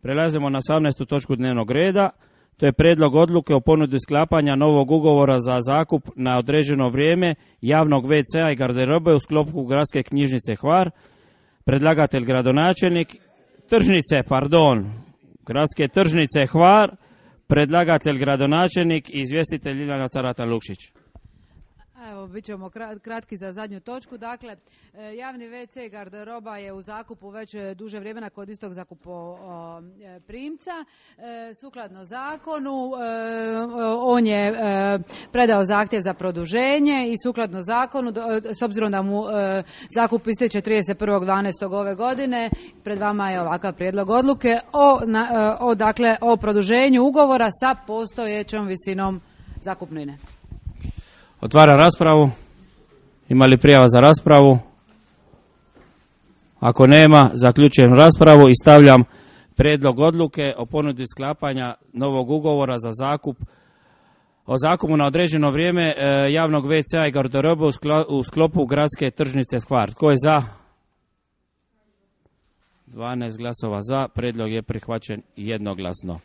Prelazimo na 18. točku dnevnog reda. To je prijedlog odluke o ponudi sklapanja novog ugovora za zakup na određeno vrijeme javnog WC-a i garderobe u sklopu Gradske knjižnice Hvar. Predlagatelj gradonačelnik Gradske tržnice Hvar. Predlagatelj gradonačelnik i izvjestitelj Ljiljana Carata-Lukšić. Evo, bit ćemo kratki za zadnju točku. Dakle, javni WC garderoba je u zakupu već duže vremena kod istog zakupoprimca. Sukladno zakonu, on je predao zahtjev za produženje i sukladno zakonu, s obzirom da mu zakup ističe 31.12. ove godine, pred vama je ovakav prijedlog odluke o produženju ugovora sa postojećom visinom zakupnine. Otvaram raspravu. Ima li prijava za raspravu? Ako nema, zaključujem raspravu i stavljam prijedlog odluke o ponudi sklapanja novog ugovora za zakup o zakupu na određeno vrijeme javnog WC-a i garderobe u sklopu Gradske tržnice Hvar. Tko je za? 12 glasova za. Prijedlog je prihvaćen jednoglasno.